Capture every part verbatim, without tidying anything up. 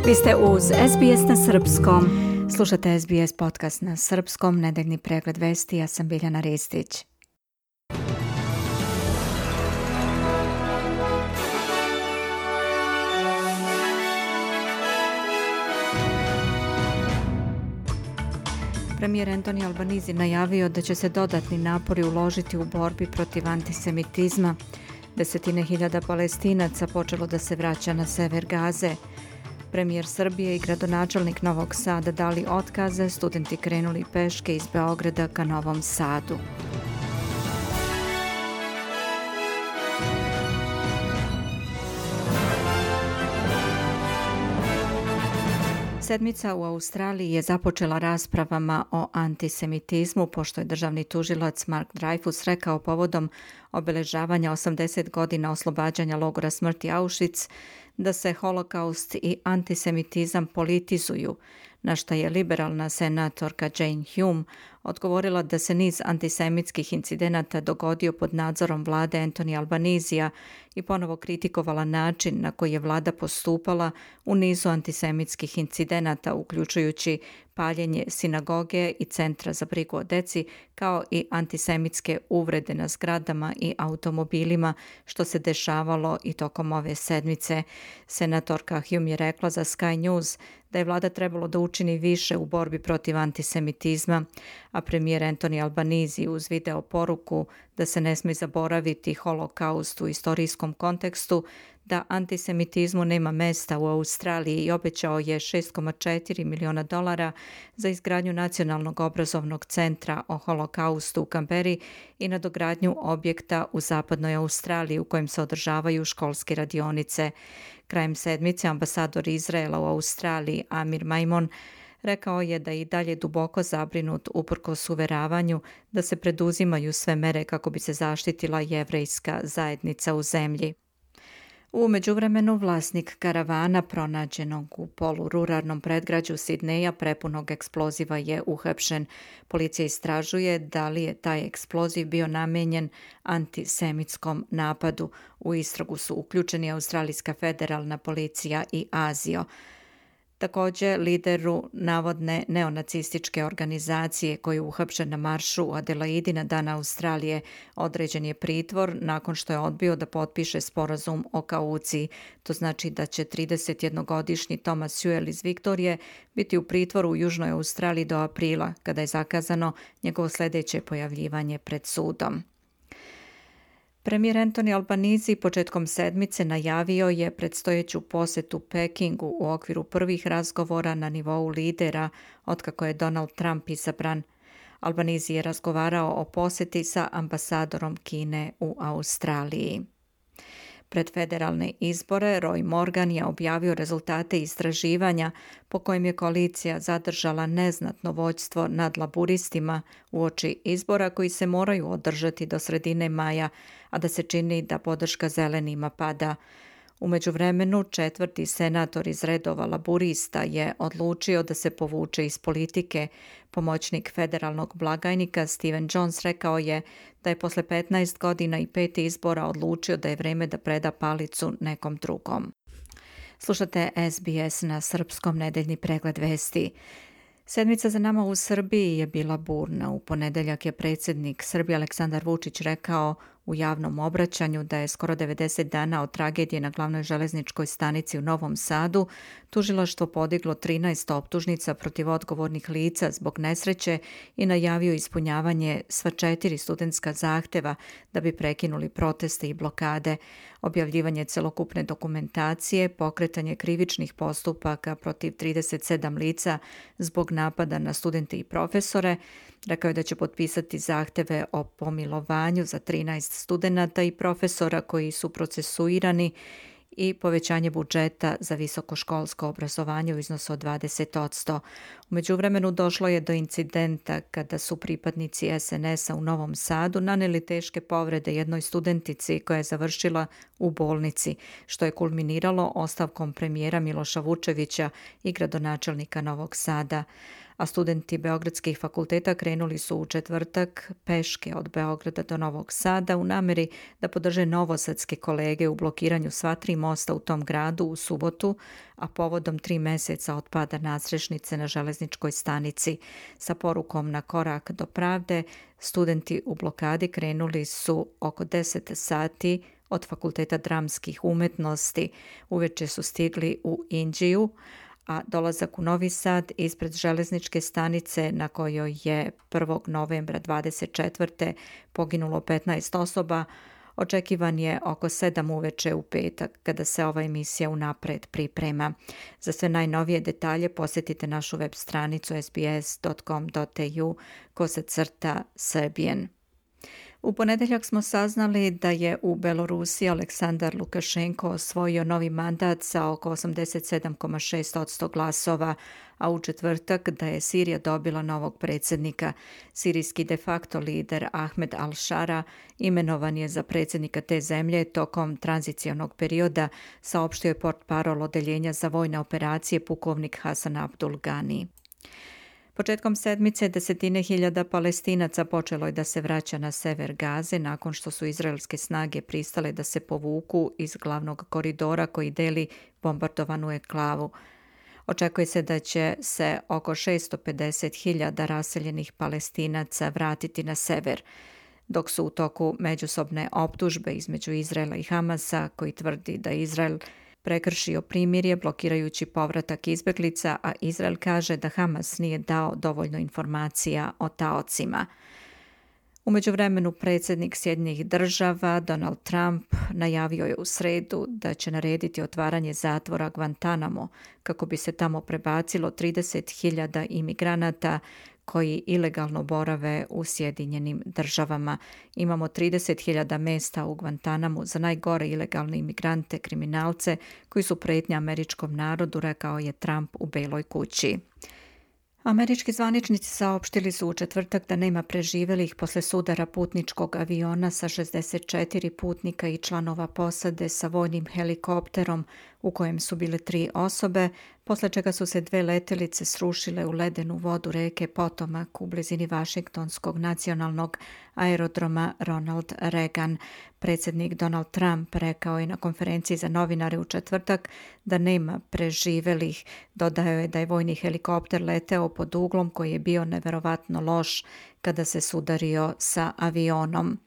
Vi ste uz S B S na srpskom. Slušate S B S podcast na srpskom, nedeljni pregled vesti, ja sam Biljana Ristić. Premijer Anthony Albanese najavio da će se dodatni napori uložiti u borbi protiv antisemitizma. Desetine hiljada Palestinaca počelo da se vraća na sever Gaze. Premijer Srbije i gradonačelnik Novog Sada dali otkaze, studenti krenuli peške iz Beograda ka Novom Sadu. Sedmica u Australiji je započela raspravama o antisemitizmu, pošto je državni tužilac Mark Dreyfus rekao povodom obeležavanja osamdeset godina oslobađanja logora smrti Auschwitz da se holokaust i antisemitizam politizuju, na što je liberalna senatorka Jane Hume odgovorila da se niz antisemitskih incidenata dogodio pod nadzorom vlade Anthony Albanesea i ponovo kritikovala način na koji je vlada postupala u nizu antisemitskih incidenata, uključujući paljenje sinagoge i centra za brigu o deci, kao i antisemitske uvrede na zgradama i automobilima, što se dešavalo i tokom ove sedmice. Senatorka Hume je rekla za Sky News da je vlada trebalo da učini više u borbi protiv antisemitizma, a premijer Anthony Albanese uz video poruku da se ne smije zaboraviti holokaust u istorijskom kontekstu, da antisemitizmu nema mesta u Australiji i obećao je šest zarez četiri miliona dolara za izgradnju nacionalnog obrazovnog centra o holokaustu u Kamberi i nadogradnju objekta u zapadnoj Australiji u kojem se održavaju školske radionice. Krajem sedmice ambasador Izraela u Australiji Amir Maimon rekao je da je i dalje duboko zabrinut uprkos uveravanju da se preduzimaju sve mere kako bi se zaštitila jevrejska zajednica u zemlji. U međuvremenu vlasnik karavana pronađenog u polururalnom predgrađu Sidneja prepunog eksploziva je uhapšen. Policija istražuje da li je taj eksploziv bio namenjen antisemitskom napadu. U istragu su uključeni Australijska federalna policija i Azio. Također, lideru navodne neonacističke organizacije koji je uhapšen na maršu u Adelaidi na Dan Australije određen je pritvor nakon što je odbio da potpiše sporazum o kauciji. To znači da će tridesetjednogodišnji Thomas Sewell iz Viktorije biti u pritvoru u Južnoj Australiji do aprila, kada je zakazano njegovo sljedeće pojavljivanje pred sudom. Premijer Anthony Albanese početkom sedmice najavio je predstojeću posjetu Pekingu u okviru prvih razgovora na nivou lidera otkako je Donald Trump izabran. Albanese je razgovarao o posjeti sa ambasadorom Kine u Australiji. Pred federalne izbore Roy Morgan je objavio rezultate istraživanja po kojem je koalicija zadržala neznatno vođstvo nad laburistima uoči izbora koji se moraju održati do sredine maja, a da se čini da podrška zelenima pada. U međuvremenu četvrti senator iz redova laburista je odlučio da se povuče iz politike. Pomoćnik federalnog blagajnika Steven Jones rekao je da je posle petnaest godina i pet izbora odlučio da je vreme da preda palicu nekom drugom. Slušate S B S na srpskom, nedeljni pregled vesti. Sedmica za nama u Srbiji je bila burna. U ponedeljak je predsjednik Srbije Aleksandar Vučić rekao u javnom obraćanju da je skoro devedeset dana od tragedije na glavnoj železničkoj stanici u Novom Sadu tužilaštvo podiglo trinaest optužnica protiv odgovornih lica zbog nesreće i najavio ispunjavanje sva četiri studentska zahteva da bi prekinuli proteste i blokade, objavljivanje celokupne dokumentacije, pokretanje krivičnih postupaka protiv trideset sedam lica zbog napada na studente i profesore. Rekao je da će potpisati zahteve o pomilovanju za trinaest studenata i profesora koji su procesuirani i povećanje budžeta za visokoškolsko obrazovanje u iznosu od dvadeset posto. U međuvremenu došlo je do incidenta kada su pripadnici S N S-a u Novom Sadu naneli teške povrede jednoj studentici koja je završila u bolnici, što je kulminiralo ostavkom premijera Miloša Vučevića i gradonačelnika Novog Sada. a studenti beogradskih fakulteta krenuli su u četvrtak peške od Beograda do Novog Sada u nameri da podrže novosadske kolege u blokiranju sva tri mosta u tom gradu u subotu, a povodom tri meseca od pada nadstrešnice na železničkoj stanici. Sa porukom na korak do pravde, studenti u blokadi krenuli su oko deset sati od Fakulteta dramskih umetnosti. Uveče su stigli u Inđiju, a dolazak u Novi Sad ispred železničke stanice na kojoj je prvog novembra dvadeset četvrte poginulo petnaest osoba, očekivan je oko sedam uveče u petak, kada se ova emisija unapred priprema. Za sve najnovije detalje posjetite našu web stranicu s b s dot com dot a u kosacrta Serbian. U ponedeljak smo saznali da je u Belorusiji Aleksandar Lukašenko osvojio novi mandat sa oko osamdeset sedam zarez šest posto glasova, a u četvrtak da je Sirija dobila novog predsjednika. Sirijski de facto lider Ahmed al-Shara imenovan je za predsjednika te zemlje tokom tranzicionog perioda, saopštio je portparol odeljenja za vojne operacije pukovnik Hasan Abdul Gani. Početkom sedmice desetine hiljada Palestinaca počelo je da se vraća na sever Gaze nakon što su izraelske snage pristale da se povuku iz glavnog koridora koji deli bombardovanu enklavu. Očekuje se da će se oko šesto pedeset hiljada raseljenih Palestinaca vratiti na sever, dok su u toku međusobne optužbe između Izraela i Hamasa, koji tvrdi da Izrael prekršio primirje blokirajući povratak izbeglica, a Izrael kaže da Hamas nije dao dovoljno informacija o taocima. U međuvremenu predsjednik Sjedinjenih država Donald Trump najavio je u sredu da će narediti otvaranje zatvora Guantanamo kako bi se tamo prebacilo trideset hiljada imigranata koji ilegalno borave u Sjedinjenim državama. Imamo trideset hiljada mesta u Guantanamu za najgore ilegalne imigrante, kriminalce koji su prijetnja američkom narodu, rekao je Trump u Beloj kući. Američki zvaničnici saopštili su u četvrtak da nema preživjelih posle sudara putničkog aviona sa šezdeset četiri putnika i članova posade sa vojnim helikopterom u kojem su bile tri osobe, posle čega su se dve letelice srušile u ledenu vodu reke Potomac u blizini Vašingtonskog nacionalnog aerodroma Ronald Reagan. Predsjednik Donald Trump rekao je na konferenciji za novinare u četvrtak da nema preživjelih. Dodao je da je vojni helikopter leteo pod uglom koji je bio neverovatno loš kada se sudario sa avionom.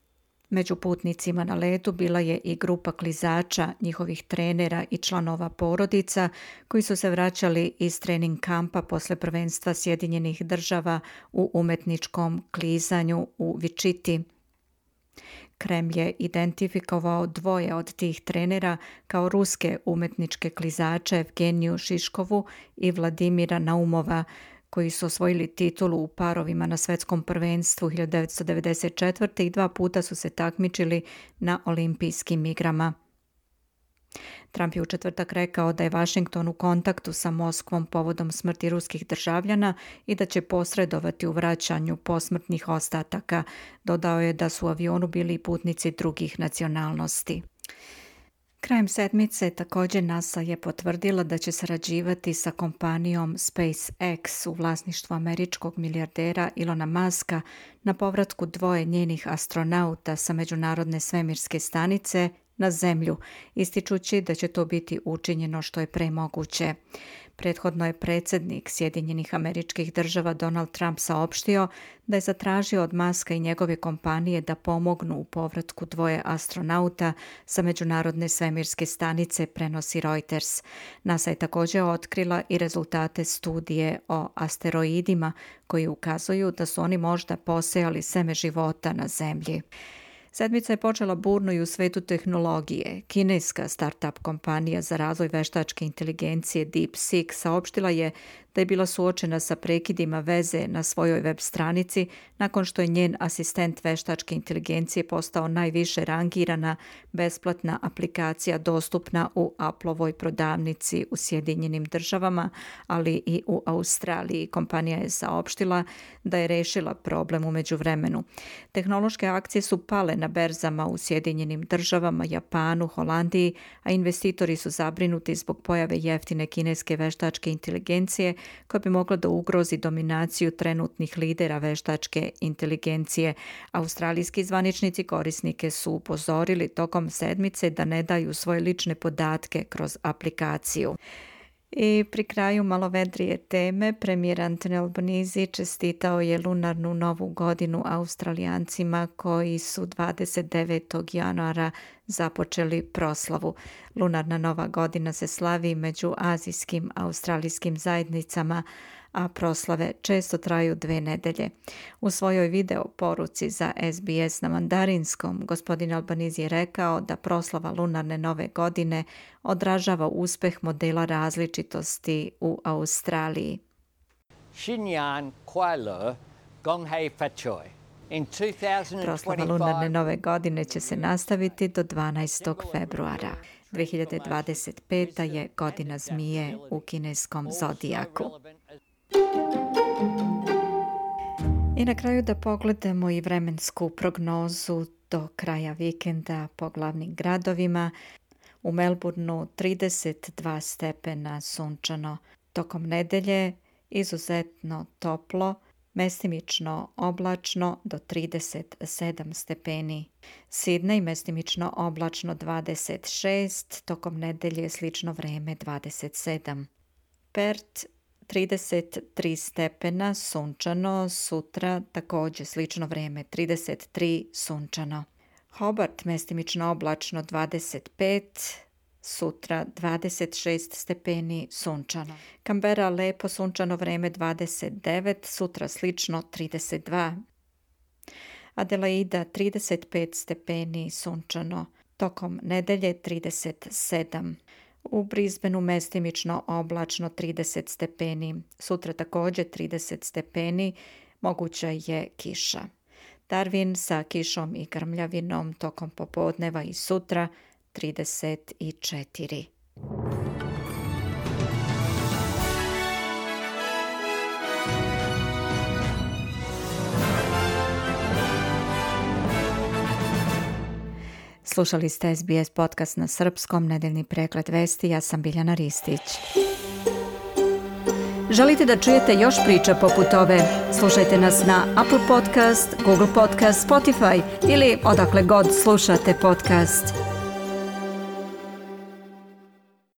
Među putnicima na letu bila je i grupa klizača, njihovih trenera i članova porodica koji su se vraćali iz trening kampa posle prvenstva Sjedinjenih država u umetničkom klizanju u Vičiti. Kremlj je identifikovao dvoje od tih trenera kao ruske umetničke klizače Evgeniju Šiškovu i Vladimira Naumova, koji su osvojili titulu u parovima na svetskom prvenstvu hiljadu devetsto devedeset četvrte i dva puta su se takmičili na olimpijskim igrama. Trump je u četvrtak rekao da je Washington u kontaktu sa Moskvom povodom smrti ruskih državljana i da će posredovati u vraćanju posmrtnih ostataka. Dodao je da su u avionu bili putnici drugih nacionalnosti. Krajem sedmice također NASA je potvrdila da će sarađivati sa kompanijom SpaceX u vlasništvu američkog milijardera Ilona Muska na povratku dvoje njenih astronauta sa međunarodne svemirske stanice na Zemlju, ističući da će to biti učinjeno što je pre moguće. Prethodno je predsjednik Sjedinjenih Američkih Država Donald Trump saopštio da je zatražio od Muska i njegove kompanije da pomognu u povratku dvoje astronauta sa međunarodne svemirske stanice, prenosi Reuters. NASA je također otkrila i rezultate studije o asteroidima koji ukazuju da su oni možda posejali seme života na Zemlji. Sedmica je počela burno i u svetu tehnologije. Kineska startup kompanija za razvoj veštačke inteligencije DeepSeek saopštila je da je bila suočena sa prekidima veze na svojoj web stranici nakon što je njen asistent veštačke inteligencije postao najviše rangirana besplatna aplikacija dostupna u Appleovoj prodavnici u Sjedinjenim državama, ali i u Australiji. Kompanija je saopštila da je rešila problem u međuvremenu. Tehnološke akcije su pale na berzama u Sjedinjenim državama, Japanu, Holandiji, a investitori su zabrinuti zbog pojave jeftine kineske veštačke inteligencije koje bi moglo da ugrozi dominaciju trenutnih lidera veštačke inteligencije. Australijski zvaničnici korisnike su upozorili tokom sedmice da ne daju svoje lične podatke kroz aplikaciju. I pri kraju malo vedrije teme, premijer Anthony Albanese čestitao je lunarnu novu godinu Australijancima koji su dvadeset devetog januara započeli proslavu. Lunarna nova godina se slavi među azijskim australijskim zajednicama, a proslave često traju dve nedelje. U svojoj video poruci za S B S na mandarinskom, gospodin Albanese je rekao da proslava lunarne nove godine odražava uspeh modela različitosti u Australiji. Xinyan Kuai Le Gong Hei Fat Choi. Proslava lunarne nove godine će se nastaviti do dvanaestog februara. dve hiljade dvadeset peta je godina zmije u kineskom zodijaku. I na kraju da pogledamo i vremensku prognozu do kraja vikenda po glavnim gradovima. U Melbourneu trideset dva stepena sunčano. Tokom nedelje izuzetno toplo, mestimično oblačno do trideset sedam stepeni. Sydney mestimično oblačno dvadeset šest, tokom nedelje slično vreme dvadeset sedam. Perth trideset tri stepena sunčano, sutra također slično vrijeme trideset tri sunčano. Hobart mestimično oblačno dvadeset pet, sutra dvadeset šest stepeni sunčano. Canberra lepo sunčano vrijeme dvadeset devet, sutra slično trideset dva. Adelaida trideset pet stepeni sunčano, tokom nedelje trideset sedam. U Brisbaneu mestimično oblačno trideset stepeni, sutra također trideset stepeni, moguća je kiša. Darwin sa kišom i grmljavinom tokom popodneva i sutra trideset četiri. Slušali ste S B S podcast na srpskom, nedeljni pregled vesti, ja sam Biljana Ristić. Želite da čujete još priča poput ove? Slušajte nas na Apple Podcast, Google Podcast, Spotify ili odakle god slušate podcast.